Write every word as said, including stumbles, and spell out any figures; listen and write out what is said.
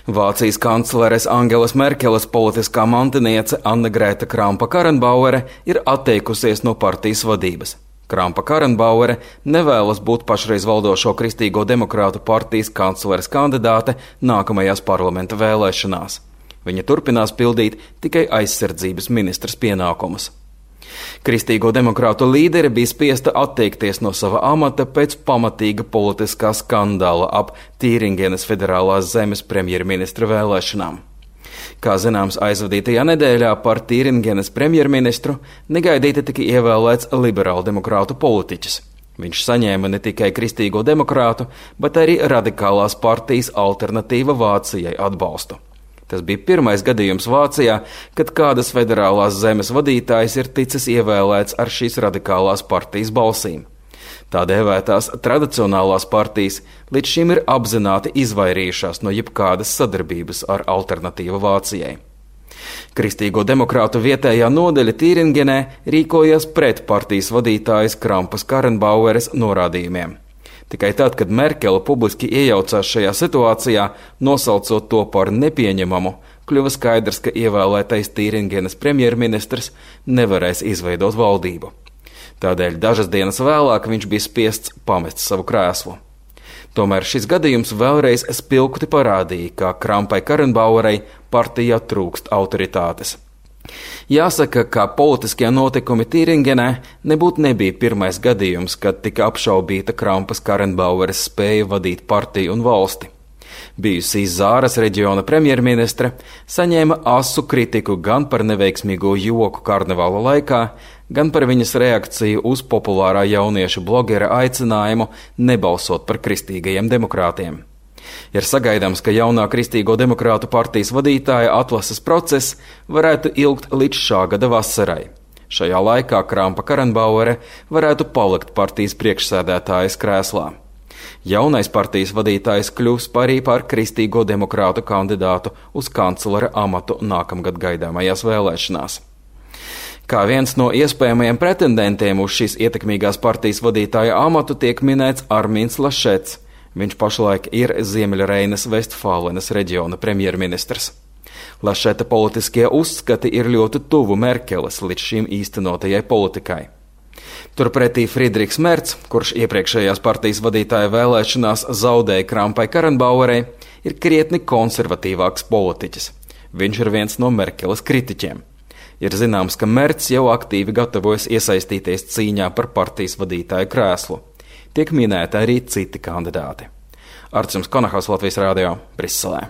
Vācijas kancleres Angelas Merkeles politiskā mantiniece Anne-Grēta Krampa-Karrenbauere ir atteikusies no partijas vadības. Krampa-Karrenbauere nevēlas būt pašreiz valdošo Kristīgo demokrātu partijas kancleres kandidāte nākamajās parlamenta vēlēšanās. Viņa turpinās pildīt tikai aizsardzības ministras pienākumus. Kristīgo demokrātu līdere bija spiesta atteikties no sava amata pēc pamatīga politiskā skandāla ap Tīringenes federālās zemes premjerministra vēlēšanām. Kā zināms, aizvadītajā nedēļā par Tīringenes premjerministru negaidīti tika ievēlēts liberālu demokrātu politiķis. Viņš saņēma ne tikai Kristīgo demokrātu, bet arī radikālās partijas Alternatīva Vācijai atbalstu. Tas bija pirmais gadījums Vācijā, kad kādas federālās zemes vadītājs ir ticis ievēlēts ar šīs radikālās partijas balsīm. Tā dēvētās tradicionālās partijas līdz šim ir apzināti izvairījušās no jebkādas sadarbības ar Alternatīvu Vācijai. Kristīgo demokrātu vietējā nodeļa Tīringenē rīkojās pret partijas vadītājas Krampas-Karrenbaueres norādījumiem. Tikai tad, kad Merkele publiski iejaucās šajā situācijā, nosaucot to par nepieņemamu, kļuva skaidrs, ka ievēlētais Tīringenes premjerministrs nevarēs izveidot valdību. Tādēļ dažas dienas vēlāk viņš bija spiests pamest savu krēslu. Tomēr šis gadījums vēlreiz spilgti parādīja, ka Krampai-Karrenbauerei partijā trūkst autoritātes. Jāsaka, ka politiskie notikumi Tīringenē nebūtu nebija pirmais gadījums, kad tika apšaubīta Krampas-Karrenbaueres spēja vadīt partiju un valsti. Bijusī Zāras reģiona premjerministre saņēma asu kritiku gan par neveiksmīgo joku karnevāla laikā, gan par viņas reakciju uz populārā jauniešu blogera aicinājumu nebalsot par kristīgajiem demokrātiem. Ir sagaidāms, ka jaunā Kristīgo demokrātu partijas vadītāja atlases process varētu ilgt līdz šā gada vasarai. Šajā laikā Krampa-Karrenbauere varētu palikt partijas priekšsēdētājas krēslā. Jaunais partijas vadītājs kļūs arī par Kristīgo demokrātu kandidātu uz kanclera amatu nākamgad gaidāmajās vēlēšanās. Kā viens no iespējamajiem pretendentiem uz šīs ietekmīgās partijas vadītāja amatu tiek minēts Armīns Lašets. Viņš pašlaik ir Ziemeļreinas Vestfālenes reģiona premjerministrs. Lašeta politiskie uzskati ir ļoti tuvu Merkeles līdz šim īstenotajai politikai. Turpretī Friedrichs Merz, kurš iepriekšējās partijas vadītāja vēlēšanās zaudēja Krampai-Karrenbauerei, ir krietni konservatīvāks politiķis. Viņš ir viens no Merkeles kritiķiem. Ir zināms, ka Merz jau aktīvi gatavojas iesaistīties cīņā par partijas vadītāja krēslu. Tiek minēti arī citi kandidāti. Arts Konahaus, Latvijas Rādio, Briselē.